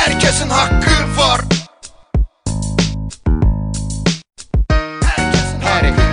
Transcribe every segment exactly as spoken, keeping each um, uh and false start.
Herkesin hakkı var.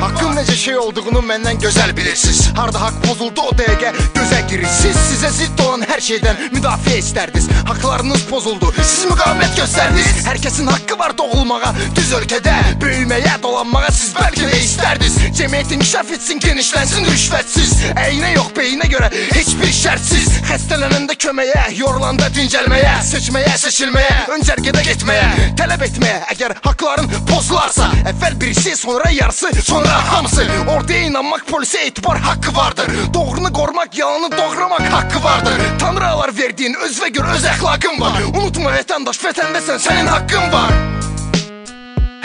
Hakkın necə şey olduğunu məndən gözəl bilirsiniz. Harda haqq pozuldu o dəqiqə gözə girirsiniz. Sizə zidd olan hər şeydən müdafiə istərdiniz. Haqlarınız pozuldu, siz müqavimət göstərdiniz. Hər kəsin haqqı var doğulmağa, düz ölkədə böyüməyə, dolanmağa siz bəlkə də istərdiniz. Cəmiyyət inkişaf etsin, genişlənsin rüşvətsiz. Əyinə yox, beyinə görə heç bir şərtsiz. Xəstələnəndə köməyə, yorulanda dincəlməyə, seçməyə, seçilməyə, öncərgədə getməyə, tələb etməyə. Əgər haqların pozularsa, əvvəl birisi, sonra yarısı, sonra hamısı. Ortaya inanmaq, polisə etibar haqqı vardır. Doğrunu qorumaq, yalanı doğramaq haqqı vardır. Tanrı alar verdiyin özvə gör öz əxlaqın var. Unutma vətəndaş, vətəndəsən, sənin haqqın var.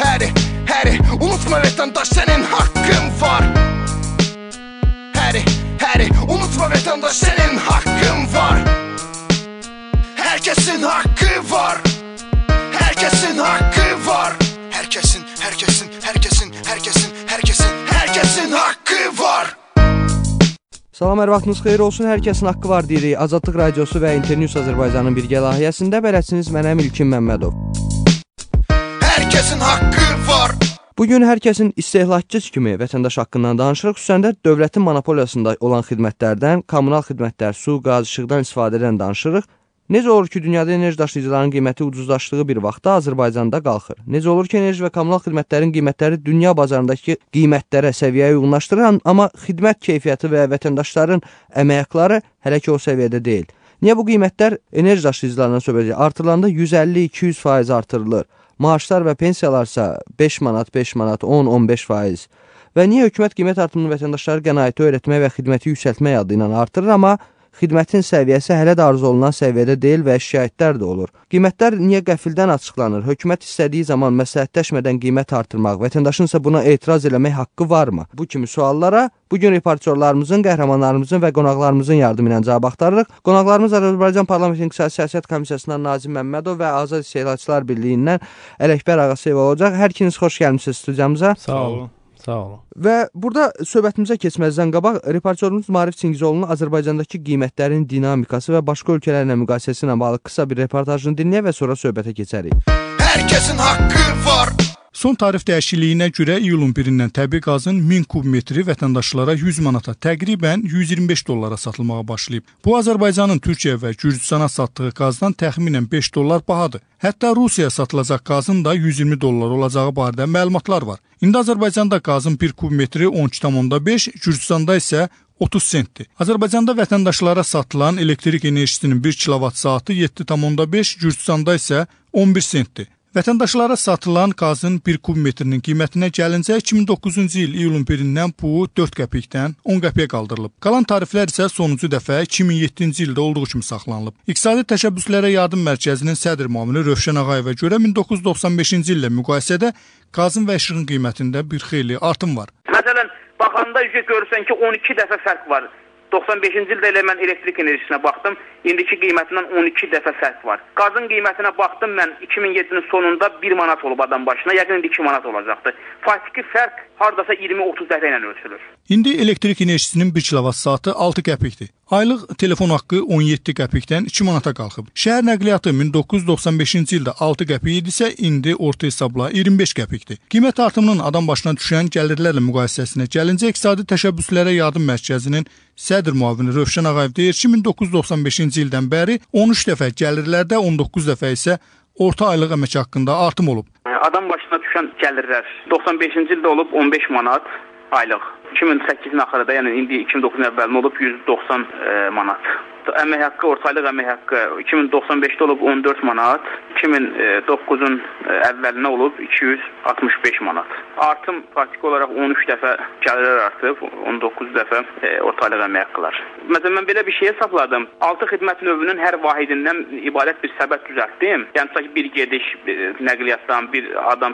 Həri, həri, unutma vətəndaş, sənin haqqın var. Həri, həri, unutma vətəndaş, sənin haqqın var. Hər kəsin haqqı var. Hər kəsin haqqı var. Hər kəsin, hər kəsin, hər kəsin, hər kəsin, hər kəsin, hər kəsin haqqı var. Salam, hər vaxtınız xeyir olsun. Hər kəsin haqqı var deyirik. Azadlıq Radiosu və Internews Azərbaycanın birgə layihəsində bələdçiniz mənəm İlkin Məmmədov. Hər kəsin haqqı var. Bugün hər kəsin istehlakçı kimi vətəndaş haqqından danışırıq. Xüsusən də dövlətin monopoliyasında olan xidmətlərdən, kommunal xidmətlər, su, qaz, işıqdan istifadədən danışırıq. Necə olur ki, dünyada enerji daşıyıcıların qiyməti ucuzlaşdığı bir vaxtda Azərbaycanda qalxır? Necə olur ki, enerji və kommunal xidmətlərin qiymətləri dünya bazarındakı qiymətlərə, səviyyəyə uyğunlaşdırır, amma xidmət keyfiyyəti və vətəndaşların əmək haqqları hələ ki o səviyyədə deyil? Niyə bu qiymətlər enerji daşıyıcılarından söhbət edir? Artırılanda yüz əlli iki yüz faiz artırılır. Maaşlar və pensiyalarsa beş manat, beş manat, on on beş faiz. Və niyə hökumət qiymət artımını vətəndaşları qənaəti öyrətmək və xidməti yüksəltmək adı ilə artırır, amma xidmətin səviyyəsi hələ də arzu olunan səviyyədə deyil və şikayətlər də olur. Qiymətlər niyə qəfildən açıqlanır? Hökumət istədiyi zaman məsləhətləşmədən qiymət artırmaq, vətəndaşın isə buna etiraz eləmək haqqı varmı? Bu kimi suallara bugün reportyorlarımızın, qəhrəmanlarımızın və qonaqlarımızın yardımı ilə cavab axtarırıq. Qonaqlarımız Azərbaycan Parlament İqtisadi Siyasət Komissiyasından Nazim Məmmədov və Azad İstehlakçılar Birliyindən Ələkbər Ağasev olacaq. Hər ikiniz xoş gəlmisiniz studiyamıza. Sağ olun. Sağ olun. Və burada söhbətimizə keçməzdən qabaq reportyorumuz Maarif Çingizoğlu'nun Azərbaycandakı qiymətlərin dinamikası və başqa ölkələrlə müqayisəsi ilə bağlı qısa bir reportajını dinləyək və sonra söhbətə keçərik. Hər kəsin haqqı var. Son tarif dəyişikliyinə görə iyulun birindən təbii qazın min kub metri vətəndaşlara yüz manata, təqribən yüz iyirmi beş dollara satılmağa başlayıb. Bu Azərbaycanın Türkiyə və Gürcüstana satdığı qazdan təxminən beş dollar bahadır. Hətta Rusiyaya satılacaq qazın da yüz iyirmi dollar olacağı barədə məlumatlar var. İndi Azərbaycanda qazın bir kub metri on iki tam beş, Gürcüstanda isə otuz sentdir. Azərbaycanda vətəndaşlara satılan elektrik enerjisinin bir kilovat saatı yeddi tam beş, Gürcüstanda isə on bir sentdir. Vətəndaşlara satılan qazın bir kub metrinin qiymətinə gəlincə iki min doqquzuncu il iyulun birindən bu dörd qəpikdən on qəpiyə qaldırılıb. Qalan tariflər isə sonuncu dəfə iki min yeddinci ildə olduğu kimi saxlanılıb. İqtisadi Təşəbbüslərə Yardım Mərkəzinin sədr müavini Rövşən Ağayeva görə min doqquz yüz doxsan beşinci illə müqayisədə qazın və işığın qiymətində bir xeyli artım var. Məsələn, baxanda görürsən ki, on iki dəfə fərq var. doxsan beşinci ildə elə mən elektrik enerjisinə baxdım, indiki qiymətindən on iki dəfə fərq var. Qazın qiymətinə baxdım mən iki min yeddinin sonunda bir manat olub adam başına, yəqin indi iki manat olacaqdı. Faktiki fərq hardasa iyirmi otuz dəfə ilə ölçülür. İndi elektrik enerjisinin bir kilovat saatı altı qəpikdir. Aylıq telefon haqqı on yeddi qəpikdən iki manata qalxıb. Şəhər nəqliyyatı min doqquz yüz doxsan beşinci ildə altı qəpik idisə, indi orta hesabla iyirmi beş qəpikdir. Qiymət artımının adam başına düşən gəlirlərlə müqayisəsinə gəlincə, İqtisadi Təşəbbüslərə Yardım Mərkəzinin sədr müavini Rövşən Ağayev deyir ki, min doqquz yüz doxsan beşinci ildən bəri on üç dəfə gəlirlərdə, on doqquz dəfə isə orta aylıq əmək haqqında artım olub. Adam başına düşən gəlirlər doxsan beşinci ildə olub on beş manat aylıq. iki min səkkizin axırında, yəni indi iki min doqquzun əvvəlində olub yüz doxsan e, manat. Əmək haqqı, ortaylıq əmək haqqı iki min doxsan beşdə olub on dörd manat, iki min doqquzun əvvəlinə olub iki yüz altmış beş manat. Artım faktiki olaraq on üç dəfə gəlirlər artıb, on doqquz dəfə e, ortaylıq əmək haqqılar. Məsələn, mən belə bir şey hesapladım. altı xidmət növünün hər vahidindən ibarət bir səbət düzəltdim. Yəni, sanki bir gediş e, nəqliyyatdan, bir adam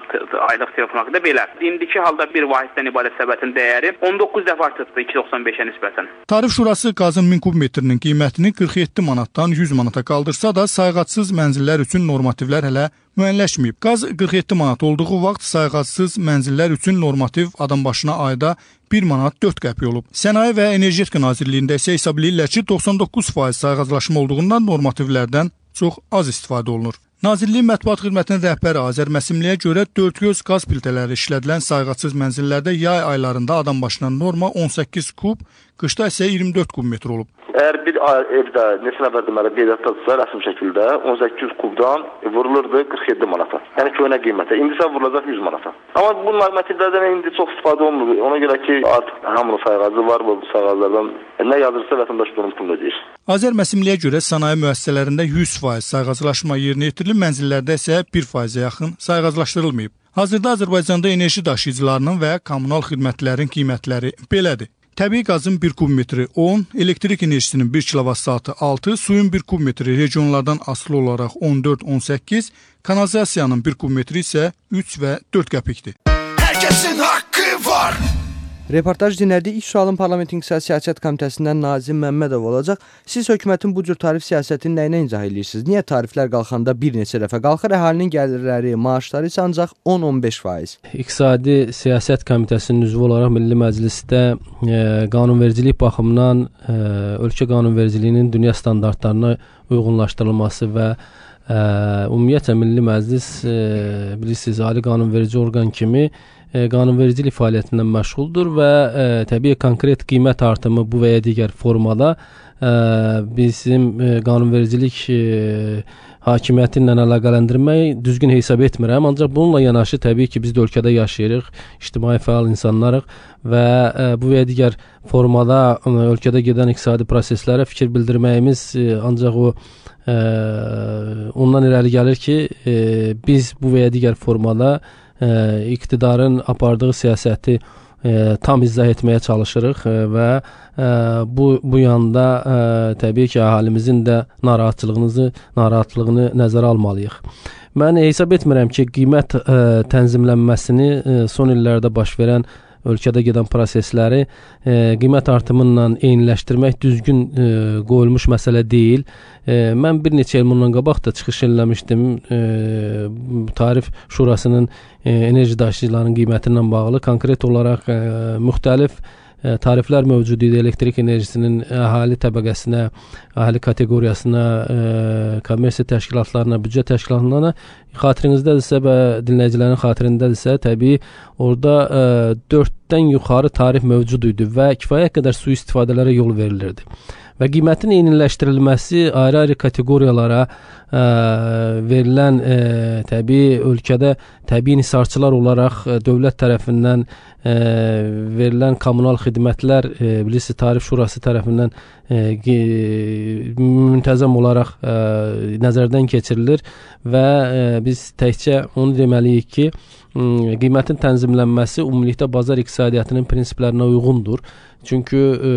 aylıq telefon haqqında belə. İndiki halda bir vahiddən ibarət səbətin dəyəri on doqquz dəfə artıbdır iki min doxsan beşə nisbətən. Tarif Şurası qazın min kub metrinin qiymətini qırx yeddi manatdan yüz manata qaldırsa da, sayğacsız mənzillər üçün normativlər hələ müəyyənləşməyib. Qaz qırx yeddi manat olduğu vaxt sayğacsız mənzillər üçün normativ adam başına ayda bir manat dörd qəpik olub. Sənaye və Energetika Nazirliyində isə hesab edirlər ki, doxsan doqquz faiz sayğaclaşma olduğundan normativlərdən çox az istifadə olunur. Nazirliyin mətbuat xidmətinin rəhbəri Azər Məsimliyə görə dördgöz qaz piltələri işlədilən sayğacsız mənzillərdə yay aylarında adam başına norma on səkkiz kub, qışda isə iyirmi dörd kub metr olub. Əgər bir evdə neçə nəfər deməli qeydiyyatdadırsa rəsmi şəkildə on səkkiz kubdan vurulurdu qırx yeddi manata. Yəni köhnə qiymətə. İndi isə vurulacaq yüz manata. Amma bu normativlərdən indi çox istifadə olunmur. Ona görə ki, artıq hamının sayğacı var bu sayğaclardan. Nə yazırsa vətəndaş bunun pulunu ödəyir. Azər Məsimliyə görə sənaye müəssisələrində yüz faiz sayğaclaşma yerinə yetirilib, mənzillərdə isə bir faizə yaxın sayğaclaşdırılmayıb. Hazırda Azərbaycanda enerji daşıyıcılarının və kommunal xidmətlərin qiymətləri belədir. Təbii qazın bir kubmetri on, elektrik enerjisinin bir kilovat saatı altı, suyun bir kubmetri regionlardan asılı olaraq on dörd on səkkiz, kanalizasiyanın bir kubmetri isə üç və dörd qəpikdir. Hər kəsin haqqı var. Reportaj dinlədik. İlk sualın Parlamentin İqtisadi Siyasət Komitəsindən Nazim Məmmədov olacaq. Siz hökumətin bu cür tarif siyasətini nəyinə izah edirsiniz? Niyə tariflər qalxanda bir neçə dəfə qalxır, əhalinin gəlirləri, maaşları isə ancaq on on beş faiz? İqtisadi Siyasət Komitəsinin üzvü olaraq Milli Məclisdə e, qanunvericilik baxımından e, ölkə qanunvericiliyinin dünya standartlarına uyğunlaşdırılması və e, ümumiyyətlə Milli Məclis e, bilirsiniz, ali qanunverici orqan kimi qanunvericilik fəaliyyətindən məşğuldur və e, təbii konkret qiymət artımı bu və ya digər formada e, bizim e, qanunvericilik e, hakimiyyəti ilə əlaqələndirmək düzgün hesab etmirəm. Ancaq bununla yanaşı təbii ki, biz də ölkədə yaşayırıq, ictimai fəal insanlarıq və e, bu və ya digər formada e, ölkədə gedən iqtisadi proseslərə fikir bildirməyimiz e, ancaq o e, ondan irəli gəlir ki, e, biz bu və ya digər formada e, iqtidarın apardığı siyasəti e, tam izah etməyə çalışırıq e, və e, bu bu yanda e, təbii ki, əhalimizin də narahatçılığını narahatlığını nəzərə almalıyıq. Mən hesab etmirəm ki, qiymət e, tənzimlənməsini e, son illərdə baş verən ölkədə gedən prosesləri e, qiymət artımıyla eyniləşdirmək düzgün e, qoyulmuş məsələ deyil. E, mən bir neçə il bundan qabaq da çıxış eləmişdim. E, Tarif Şurasının e, enerji daşıyıcılarının qiyməti ilə bağlı konkret olaraq e, müxtəlif e, tariflər mövcud idi. Elektrik enerjisinin əhali təbəqəsinə, əhali kateqoriyasına, e, kommersiya təşkilatlarına, büdcə təşkilatlarına, xatirinizdə-dirsə və dinləyicilərin xatirindədirsə, təbii orada e, dörddən yuxarı tarif mövcud idi və kifayət qədər sui istifadələrə yol verilirdi. Və qiymətin eyniləşdirilməsi ayrı-ayrı kateqoriyalara ə, verilən ə, təbii ölkədə təbii nisarçılar olaraq ə, dövlət tərəfindən ə, verilən kommunal xidmətlər ə, bilirsiniz, Tarif Şurası tərəfindən ə, müntəzəm olaraq ə, nəzərdən keçirilir və ə, biz təkcə onu deməliyik ki, ə, qiymətin tənzimlənməsi ümumilikdə bazar iqtisadiyyatının prinsiplərinə uyğundur. Çünki e,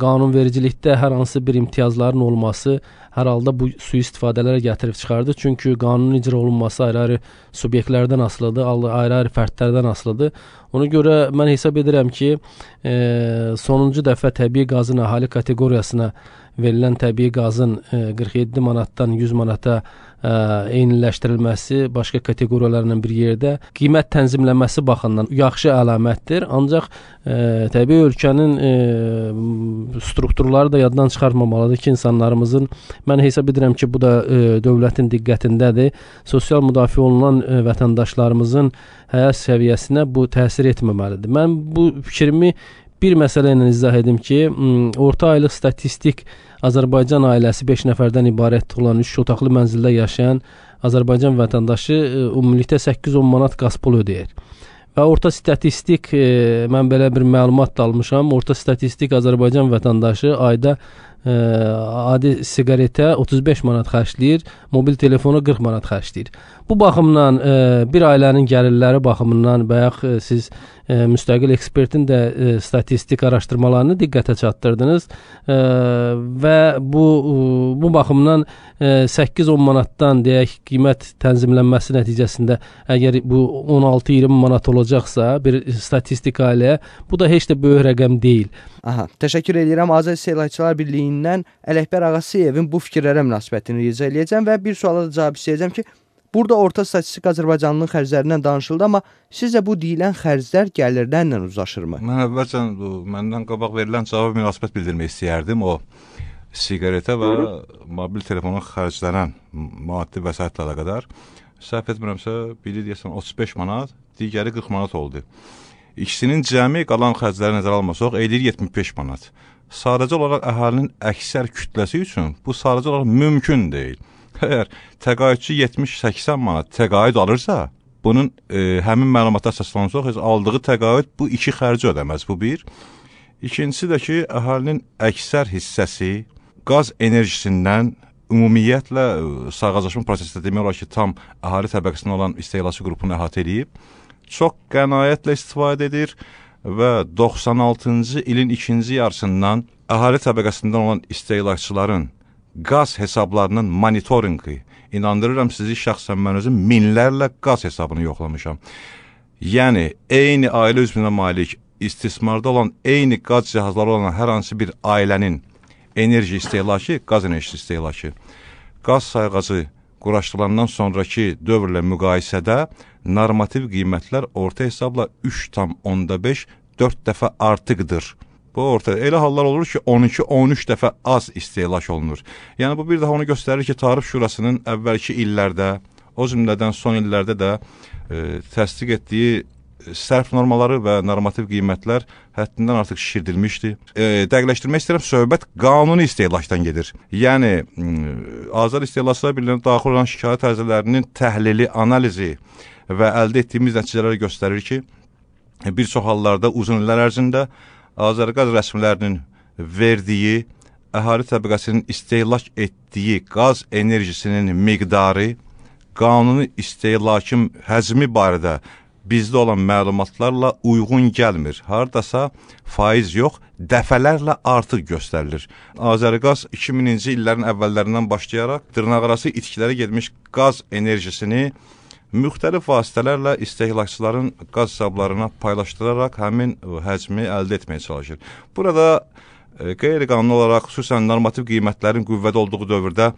qanunvericilikdə hər hansı bir imtiyazların olması hər halda bu sui istifadələrə gətirib çıxardı. Çünki qanunun icra olunması ayrı-ayrı subyektlərdən asılıdır, ayrı-ayrı fərdlərdən asılıdır. Ona görə mən hesab edirəm ki, e, sonuncu dəfə təbii qazın əhali kateqoriyasına verilən təbii qazın e, qırx yeddi manatdan yüz manata ə, eyniləşdirilməsi başqa kateqoriyalarla bir yerdə qiymət tənzimlənməsi baxımından yaxşı əlamətdir. Ancaq ə, təbii ölkənin ə, strukturları da yaddan çıxartmamalıdır ki, insanlarımızın, mən hesab edirəm ki, bu da ə, dövlətin diqqətindədir. Sosial müdafiə olunan ə, vətəndaşlarımızın həyat səviyyəsinə bu təsir etməməlidir. Mən bu fikrimi bir məsələ ilə izah edim ki, orta aylıq statistik Azərbaycan ailəsi beş nəfərdən ibarət olan üç otaqlı mənzildə yaşayan Azərbaycan vətəndaşı ümumilikdə səkkiz on manat qaz pulu ödəyir. Və orta statistik, mən belə bir məlumat da almışam, orta statistik Azərbaycan vətəndaşı ayda ə, adi siqaretə otuz beş manat xərcləyir, mobil telefona qırx manat xərcləyir. Bu baxımdan ə, bir ailənin gəlirləri baxımından bayaq ə, siz ə, müstəqil ekspertin də ə, statistik araşdırmalarını diqqətə çatdırdınız ə, və bu ə, bu baxımdan səkkiz on manatdan deyək qiymət tənzimlənməsi nəticəsində əgər bu on altı iyirmi manat olacaqsa bir statistik ailəyə, bu da heç də böyük rəqəm deyil. Aha, təşəkkür edirəm. Azər İstehlakçılar Birliyindən Ələkbər Ağasıyevin bu fikirlərə münasibətini rica edəcəm və bir suala da cavab istəyəcəm ki, burada orta statistik Azərbaycanlının xərclərindən danışıldı, amma sizcə bu deyilən xərclər gəlirlərlə uzlaşırmı? Mən əvvəlcə məndən qabaq verilən cavab münasibət bildirmək istəyərdim. O siqaretə və mobil telefona xərclənən maddi vəsaitlə əlaqədar səhv etmirəmsə, biri deyəsən otuz beş manat, digəri qırx manat oldu. İkisinin cəmi qalan xərcləri nəzərə almasaq, eləyir yetmiş beş manat. Sadəcə olaraq əhalinin əksər kütləsi üçün bu sadəcə olaraq mümkün deyil. Əgər təqaüdçü yetmiş səksən manat təqaüd alırsa, bunun e, həmin məlumatlar əsaslansaq, aldığı təqaüd bu iki xərci ödəməz, bu bir. İkincisi də ki, əhalinin əksər hissəsi qaz enerjisindən ümumiyyətlə sağaclaşma prosesində demək olar ki, tam əhali təbəqəsində olan istehlakçı qrupunu əhatə edib, çox qənaətlə istifadə edir və doxsan altıncı ilin ikinci yarısından əhali təbəqəsindən olan istehlakçıların qaz hesablarının monitorinqi, inandırıram sizi, şəxsən mən özüm minlərlə qaz hesabını yoxlamışam. Yəni, eyni ailə üzvünə malik istismarda olan, eyni qaz cihazları olan hər hansı bir ailənin enerji istehlakı, qaz enerjisi istehlakı, qaz sayğacı quraşdırılandan sonraki dövrlə müqayisədə normativ qiymətlər orta hesabla üç tam onda beş dörd dəfə artıqdır. Bu orta elə hallar olur ki, on iki on üç dəfə az istehlak olunur. Yəni bu bir daha onu göstərir ki, Tarif Şurasının əvvəlki illərdə, o cümlədən son illərdə də e, təsdiq etdiyi sərf normaları və normativ qiymətlər həddindən artıq şişirdilmişdir. E, dəqiqləşdirmək istəyirəm, söhbət qanuni istehlakdan gedir. Yəni, Azər İstehlakçılar Birliyinə daxil olan şikayət ərizələrinin təhlili, analizi və əldə etdiyimiz nəticələri göstərir ki, bir çox hallarda uzun illər ərzində Azərqaz rəsmilərinin verdiyi, əhali təbəqəsinin istehlak etdiyi qaz enerjisinin miqdarı, qanuni istehlakın həcmi barədə bizdə olan məlumatlarla uyğun gəlmir. Haradasa faiz yox, dəfələrlə artıq göstərilir. Azərqaz iki mininci illərin əvvəllərindən başlayaraq dırnaqarası itkilərə getmiş qaz enerjisini müxtəlif vasitələrlə istehlakçıların qaz hesablarına paylaşdıraraq həmin həcmi əldə etməyə çalışır. Burada e, qeyri-qanuni olaraq xüsusən normativ qiymətlərin qüvvədə olduğu dövrdə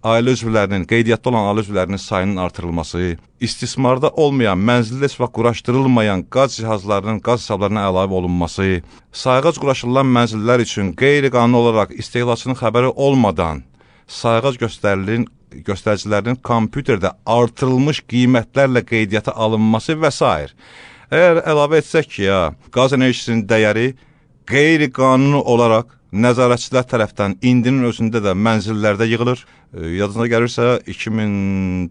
ailə üzvlərinin, qeydiyyatda olan ailə üzvlərinin sayının artırılması, istismarda olmayan, mənzildə heç vaxt quraşdırılmayan qaz cihazlarının qaz hesablarına əlavə olunması, sayğac quraşdırılan mənzillər üçün qeyri-qanuni olaraq istehlakçının xəbəri olmadan sayğac göstərilin göstəricilərinin kompüterdə artırılmış qiymətlərlə qeydiyyata alınması və s. Əgər əlavə etsək ki, ya, qaz enerjisinin dəyəri qeyri-qanuni olaraq nəzarətçilər tərəfdən indinin özündə də mənzillərdə yığılır. E, yadınıza gəlirsə, iki min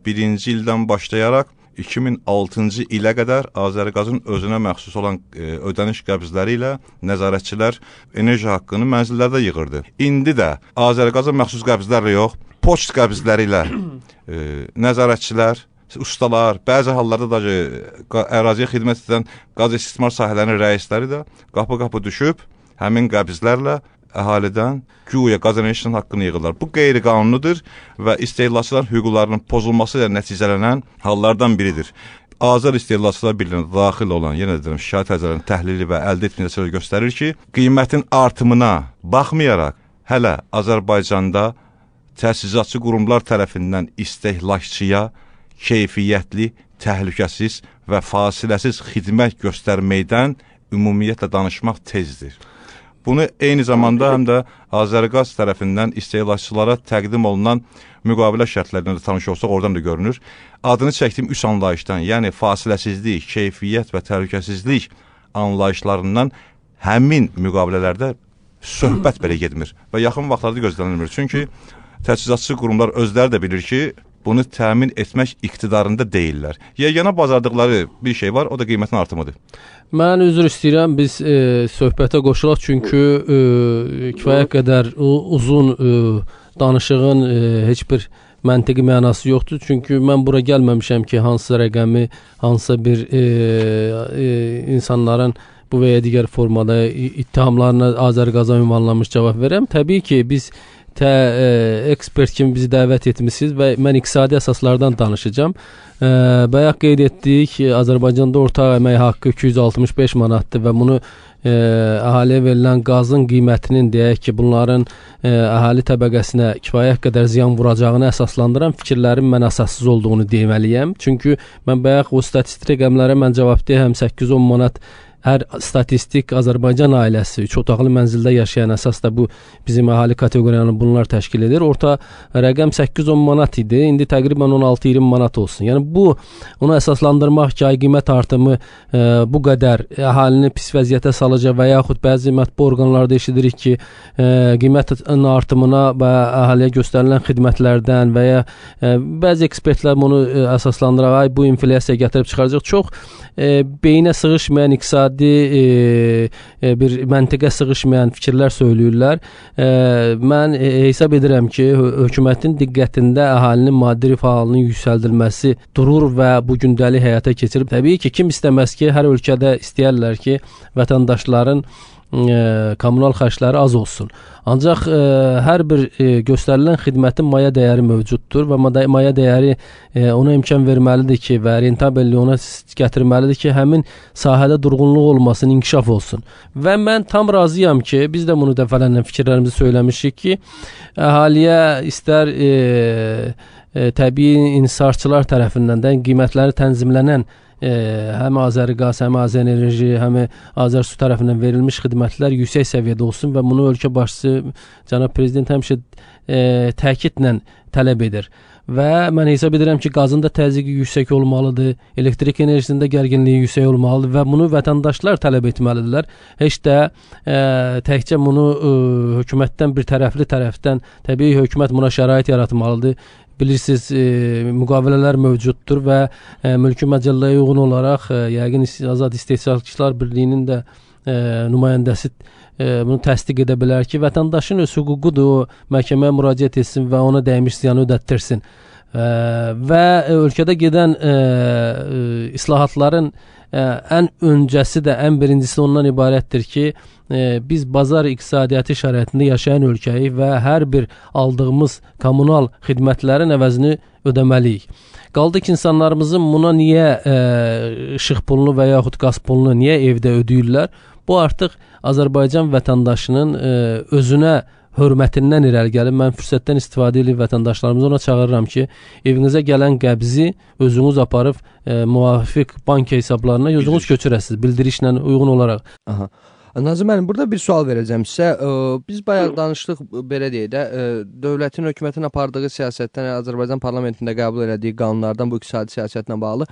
birinci ildən başlayaraq iki min altıncı ilə qədər Azərqazın özünə məxsus olan e, ödəniş qəbzləri ilə nəzarətçilər enerji haqqını mənzillərdə yığırdı. İndi də Azərqazın məxsus qəbzlərlə yox, poçt qəbzləri ilə e, nəzarətçilər, ustalar, bəzi hallarda da e, əraziyə xidmət edən qaz istismar sahələrinin rəisləri də qapı-qapı düşüb həmin qəbzlərlə əhalidən güya qaz enerjisinin haqqını yığırlar. Bu qeyri-qanunudur və istehlakçıların hüquqlarının pozulması ilə nəticələnən hallardan biridir. Azər İstehlakçılar Birliyinə daxil olan, yenə deyirəm, şikayət ərizələrinin təhlili və əldə etdiyi nəticələr göstərir ki, qiymətin artımına baxmayaraq hələ Azərbaycanda təsisatçı qurumlar tərəfindən istehlakçıya keyfiyyətli, təhlükəsiz və fasiləsiz xidmət göstərməkdən ümumiyyətlə danışmaq tezdir. Bunu eyni zamanda həm də Azərqaz tərəfindən istehlakçılara təqdim olunan müqavilə şərtlərindən də tanış olsaq, oradan da görünür. Adını çəkdiyim üç anlayışdan, yəni fasiləsizlik, keyfiyyət və təhlükəsizlik anlayışlarından həmin müqavilələrdə söhbət belə getmir və yaxın vaxtlarda gözlənilmir. Çünki təchizatçı qurumlar özləri də bilir ki, bunu təmin etmək iqtidarında deyirlər. Yeganə bacardıqları bir şey var, o da qiymətin artımıdır. Mən üzr istəyirəm, biz e, söhbətə qoşulaq, çünki e, kifayət qədər uzun e, danışığın e, heç bir məntiqi mənası yoxdur. Çünki mən bura gəlməmişəm ki, hansısa rəqəmi, hansısa bir e, e, insanların bu və ya digər formada ittihamlarına Azərqaza ünvanlanmış cavab verəm. Təbii ki, biz Tə, e, ekspert kimi bizi dəvət etmişsiniz və mən iqtisadi əsaslardan danışacağım. E, bayaq qeyd etdik, Azərbaycanda ortaq əmək haqqı iki yüz altmış beş manatdır və bunu e, əhaliyə verilən qazın qiymətinin, deyək ki, bunların e, əhali təbəqəsinə kifayət qədər ziyan vuracağını əsaslandıran fikirlərin mən əsassız olduğunu deməliyəm. Çünki mən bayaq o statistik rəqəmlərə mən cavab deyəm, səkkiz on manat hər statistik Azərbaycan ailəsi üç otaqlı mənzildə yaşayan, əsas da bu bizim əhali kateqoriyanı bunlar təşkil edir. Orta rəqəm səkkiz on manat idi. İndi təqribən on altı iyirmi manat olsun. Yəni bu onu əsaslandırmaq ki, ay qiymət artımı e, bu qədər əhalini pis vəziyyətə salacaq və yaxud bəzi mətbu orqanlarda eşidirik ki, e, qiymətin artımına və əhaliyə göstərilən xidmətlərdən və ya e, bəzi ekspertlər bunu e, əsaslandıraq, ay bu inflyasiya gətirib çıxaracaq. Çox e, beyinə sığışmayan iqtisadi e, e, bir məntiqə sığışmayan fikirlər söyləyirlər. E, mən e, hesab edirəm ki, hökumətin diqqətində əhalinin maddi rifah halının yüksəldilməsi durur və bu gündəlik həyata keçirib. Təbii ki, kim istəməz ki, hər ölkədə istəyərlər ki, vətəndaşların e, kommunal xərcləri az olsun. Ancaq e, hər bir e, göstərilən xidmətin maya dəyəri mövcuddur və maya dəyəri e, ona imkan verməlidir ki, və rentabelliyi ona gətirməlidir ki, həmin sahədə durğunluq olmasın, inkişaf olsun. Və mən tam razıyam ki, biz də bunu dəfələrlə fikirlərimizi söyləmişik ki, əhaliyə istər e, e, təbii insarçılar tərəfindən də qiymətləri tənzimlənən E, həm Azəriqaz, həm Azərenerji, həm Azərsu tərəfindən verilmiş xidmətlər yüksək səviyyədə olsun və bunu ölkə başçısı cənab prezident həmişə e, təkidlə tələb edir. Və mən hesab edirəm ki, qazın da təzyiqi yüksək olmalıdır, elektrik enerjisində gərginliyi yüksək olmalıdır və bunu vətəndaşlar tələb etməlidirlər. Heç də e, təkcə bunu e, hökumətdən bir tərəfli tərəfdən, təbii hökumət buna şərait yaratmalıdır. Bilirsiniz, e, müqavilələr mövcuddur və e, mülki məcəlləyə uyğun olaraq e, yəqin Azad İstehsalçılar Birliyinin də e, nümayəndəsi e, bunu təsdiq edə bilər ki, vətəndaşın öz hüququdur, o məhkəməyə müraciət etsin və ona dəymiş ziyanı ödətdirsin. E, və ölkədə gedən e, e, islahatların e, ən öncəsi də, ən birincisi ondan ibarətdir ki, e, biz bazar iqtisadiyyatı şəraitində yaşayan ölkəyik və hər bir aldığımız kommunal xidmətlərin əvəzini ödəməliyik. Qaldı ki, insanlarımızın buna niyə e, işıq pulunu və yaxud qaz pulunu niyə evdə ödəyirlər? Bu artıq Azərbaycan vətəndaşının e, özünə hörmətindən irəli gəlib. Mən fürsətdən istifadə edib vətəndaşlarımızı ona çağırıram ki, evinizə gələn qəbzi özünüz aparıb e, müvafiq bank hesablarına özünüz köçürəsiniz, bildirişlə uyğun olaraq. Aha. Nazım müəllim, burada bir sual verəcəm sizə. Biz bayaq danışdıq, belə deyək də, dövlətin, hökumətin apardığı siyasətdən, Azərbaycan parlamentində qəbul elədiyi qanunlardan bu iqtisadi siyasətlə bağlı.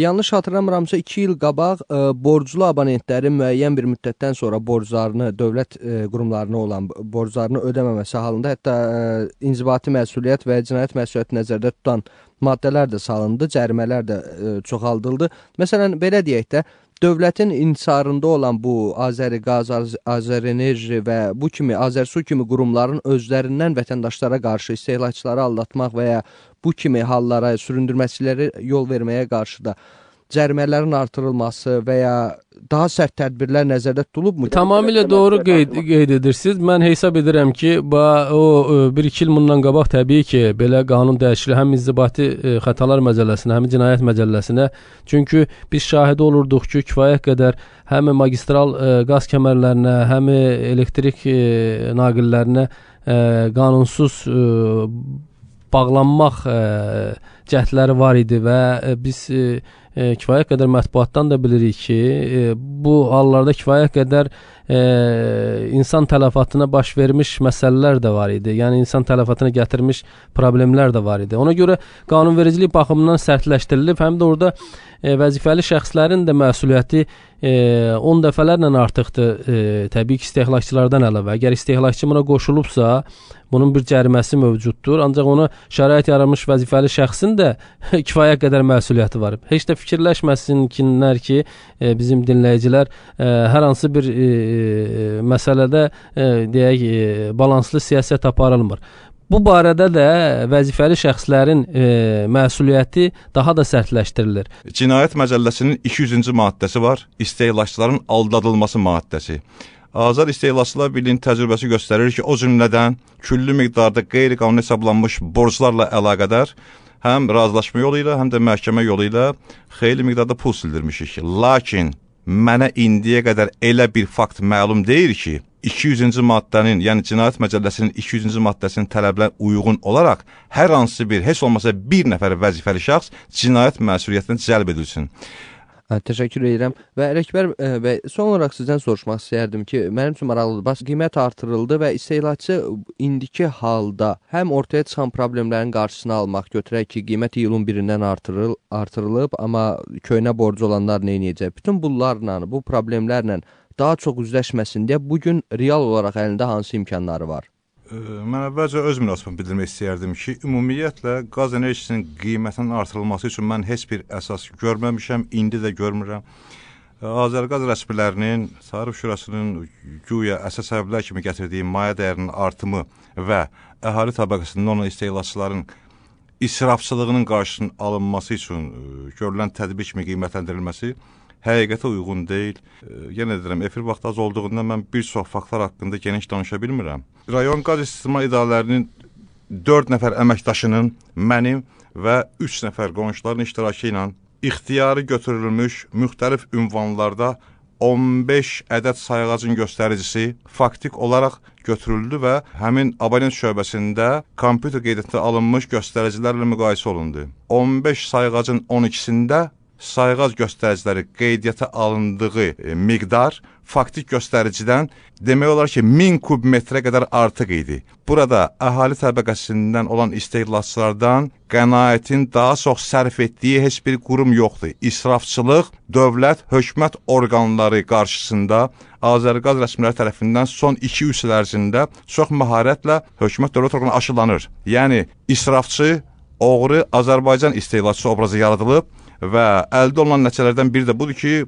Yanlış xatırlamıramsa, iki il qabaq borclu abonentlərin müəyyən bir müddətdən sonra borclarını, dövlət qurumlarına olan borclarını ödəməməsi halında, hətta inzibati məsuliyyət və cinayət məsuliyyəti nəzərdə tutan maddələr də salındı, cərimələr də çoxaldıldı. Məsələn, belə deyək də, dövlətin insarında olan bu Azəriqaz, Azərenerji və bu kimi Azərsu kimi qurumların özlərindən vətəndaşlara qarşı istehlakçıları aldatmaq və ya bu kimi hallara, süründürməçiləri yol verməyə qarşı da cərimələrin artırılması və ya daha sərt tədbirlər nəzərdə tutulubmu? Tamamilə doğru qeyd, qeyd edirsiniz. Mən hesab edirəm ki, o bir iki il bundan qabaq təbii ki, belə qanun dəyişikliyi həm inzibati xətalar məcəlləsinə, həm cinayət məcəlləsinə. Çünki biz şahidi olurduq ki, kifayət qədər həm magistral qaz kəmərlərinə, həm elektrik naqillərinə qanunsuz bağlanmaq cəhdləri var idi və biz E, kifayət qədər mətbuatdan da bilirik ki, e, bu hallarda kifayət qədər e, insan tələfatına baş vermiş məsələlər də var idi. Yəni, insan tələfatına gətirmiş problemlər də var idi. Ona görə qanunvericilik baxımından sərtləşdirilib, həm də orada e, vəzifəli şəxslərin də məsuliyyəti e, on dəfələrlə artıqdır, e, təbii ki, istehlakçılardan əlavə. Əgər istehlakçı buna qoşulubsa, bunun bir cəriməsi mövcuddur, ancaq ona şərait yaranmış vəzifəli şəxsin də kifayət qədər məsuliyyəti var. Heç də fikirləşməsinlər ki, e, bizim dinləyicilər e, hər hansı bir e, məsələdə e, deyək, e, balanslı siyasət aparılmır. Bu barədə də vəzifəli şəxslərin e, məsuliyyəti daha da sərtləşdirilir. Cinayət Məcəlləsinin iki yüzüncü maddəsi var, istehlakçıların aldadılması maddəsi. Azad İstehlakçılar Birliyinin təcrübəsi göstərir ki, o cümlədən küllü miqdarda qeyri-qanuni hesablanmış borclarla əlaqədar həm razılaşma yolu ilə, həm də məhkəmə yolu ilə xeyli miqdarda pul sildirmişik. Lakin mənə indiyə qədər elə bir fakt məlum deyil ki, iki yüzüncü maddənin, yəni Cinayət Məcəlləsinin iki yüzüncü maddəsinin tələblərinə uyğun olaraq hər hansı bir, heç olmasa bir nəfər vəzifəli şəxs cinayət məsuliyyətinə cəlb edilsin. Hə, təşəkkür edirəm. Və Ələkbər bəy, son olaraq sizdən soruşmaq istəyərdim ki, mənim üçün maraqlıdır. Bax, qiymət artırıldı və istehlakçı indiki halda həm ortaya çıxan problemlərin qarşısını almaq, götürək ki, qiymət iyulun birindən artırıl artırılıb, amma köhnə borcu olanlar nə edəcək? Bütün bunlarla, bu problemlərlə daha çox üzləşməsin deyə bu gün real olaraq əlində hansı imkanları var? Mən əvvəlcə öz münasibətimi bildirmək istəyərdim ki, ümumiyyətlə qaz enerjisinin qiymətinin artırılması üçün mən heç bir əsas görməmişəm, indi də görmürəm. Azərqaz rəsmilərinin, Tarif Şurasının güya əsas səbəblər kimi gətirdiyi mayə dəyərinin artımı və əhali təbəqəsində olan istehlakçıların israfçılığının qarşısının alınması üçün görülən tədbir kimi qiymətləndirilməsi həqiqətə uyğun deyil. Yenə deyirəm, efir vaxtı az olduğundan mən bir çox faktlar haqqında geniş danışa bilmirəm. Rayon qaz istismar idarələrinin dörd nəfər əməkdaşının, mənim və üç nəfər qonşuların iştirakı ilə ixtiyarı götürülmüş müxtəlif ünvanlarda on beş ədəd sayğacın göstəricisi faktik olaraq götürüldü və həmin abonent şöbəsində kompüter qeydiyyatına alınmış göstəricilərlə müqayisə olundu. on beş sayğacın on ikisində sayğac göstəriciləri qeydiyyata alındığı e, miqdar faktik göstəricidən demək olar ki, min kub metrə qədər artıq idi. Burada əhali təbəqəsindən olan istehlakçılardan qənaətin daha çox sərf etdiyi heç bir qurum yoxdur. İsrafçılıq dövlət, hökumət orqanları qarşısında Azərqaz rəsmiləri tərəfindən son iki üç il ərzində çox məharətlə hökumət dövlət orqanı aşılanır. Yəni, israfçı, oğru Azərbaycan istehlakçısı obrazı yaradılıb və əldə olunan nəticələrdən biri də budur ki,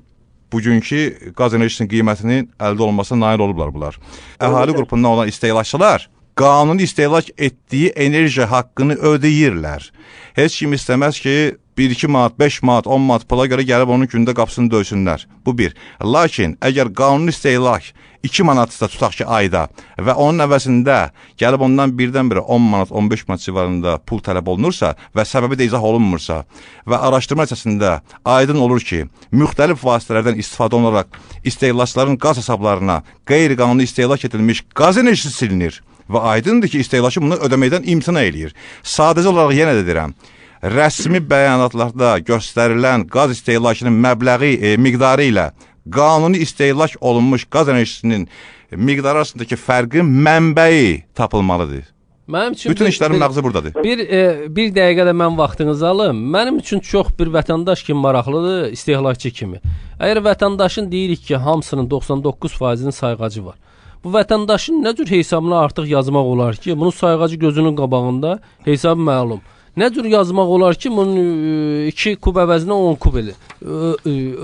bugünkü qaz enerjisinin qiymətinin əldə olunmasına nail olublar bunlar. Əhali qrupundan olan istehlakçılar qanuni istehlak etdiyi enerji haqqını ödəyirlər. Heç kim istəməz ki, bir iki manat, beş manat, on manat pula görə gəlib onun gündə qapısını döysünlər. Bu bir. Lakin, əgər qanuni istehlak iki manatsa tutaq ki, ayda və onun əvəzində gəlib ondan birdən-birə on manat, on beş manat civarında pul tələb olunursa və səbəbi də izah olunmursa və araşdırma nəticəsində aydın olur ki, müxtəlif vasitələrdən istifadə olunaraq istehlakçıların qaz hesablarına qeyri-qanuni istehlak edilmiş qaz enerjisi silinir və aydındır ki, istehlakçı bunu ödəməkdən imtina eləyir. Sadəcə olaraq yenə də deyirəm, rəsmi bəyanatlarda göstərilən qaz istehlakının məbləği, e, miqdarı ilə qanuni istehlak olunmuş qaz enerjisinin miqdarı arasındakı fərqin mənbəyi tapılmalıdır. Mənim üçün bütün bir, işlərin bir, məğzi buradadır. Bir e, bir dəqiqə də mən vaxtınızı alım. Mənim üçün çox bir vətəndaş kimi maraqlıdır, istehlakçı kimi. Əgər vətəndaşın deyirik ki, hamısının doxsan doqquz faizinin sayğacı var. Bu vətəndaşın nə cür hesabına artıq yazmaq olar ki, bunun sayğacı gözünün qabağında hesabı məlum. Nə cür yazmaq olar ki, bunun iki kub əvəzinə on kub elə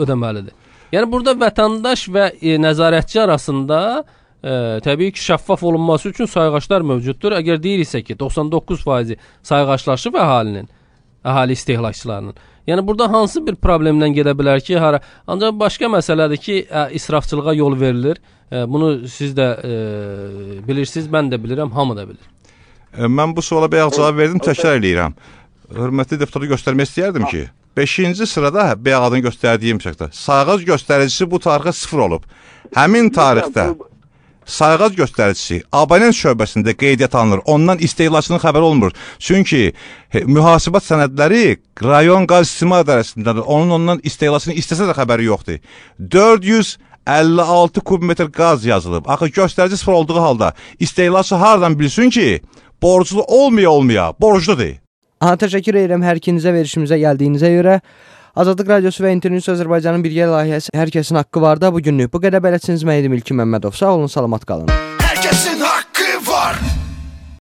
ödəməlidir. Yəni burada vətəndaş və e, nəzarətçi arasında e, təbii ki, şəffaf olunması üçün sayğaclar mövcuddur. Əgər deyiriksə ki, doxsan doqquz faizi sayğaclaşıb əhalinin, əhali istehlakçılarının. Yəni burada hansı bir problemlə gedə bilər ki, hara? Ancaq başqa məsələdir ki, ə, israfçılığa yol verilir. Ə, bunu siz də ə, bilirsiniz, mən də bilirəm, hamı da bilir. E, mən bu suala bayaq cavab verdim, təkrar eləyirəm. Hörmətli deputatı göstərmək istəyərdim ki, beşinci sırada bayaq adını göstərdiyim şəkildə sayğac göstəricisi bu tarixə sıfır olub. Həmin tarixdə sayğac göstəricisi abonent şöbəsində qeydiyyat alınır. Ondan istehlakçının xəbəri olmur. Çünki he, mühasibat sənədləri rayon qaz istismar idarəsindədir. Onun ondan istehlakçının istəsə də xəbəri yoxdur. dörd yüz əlli altı kubmetr qaz yazılıb. Axı göstərici sıfır olduğu halda istehlakçı hardan bilsin ki, borclu olmaya olmaya borcludur. Aha, təşəkkür edirəm hər ikinizə verişimizə gəldiyinizə görə. Azadlıq Radiosu və İnternews Azərbaycanın birgə layihəsi Hər kəsin haqqı var da bugünlük bu qədər. Bələdçiniz mən idim İlkin Məmmədov. Sağ olun, salamat qalın.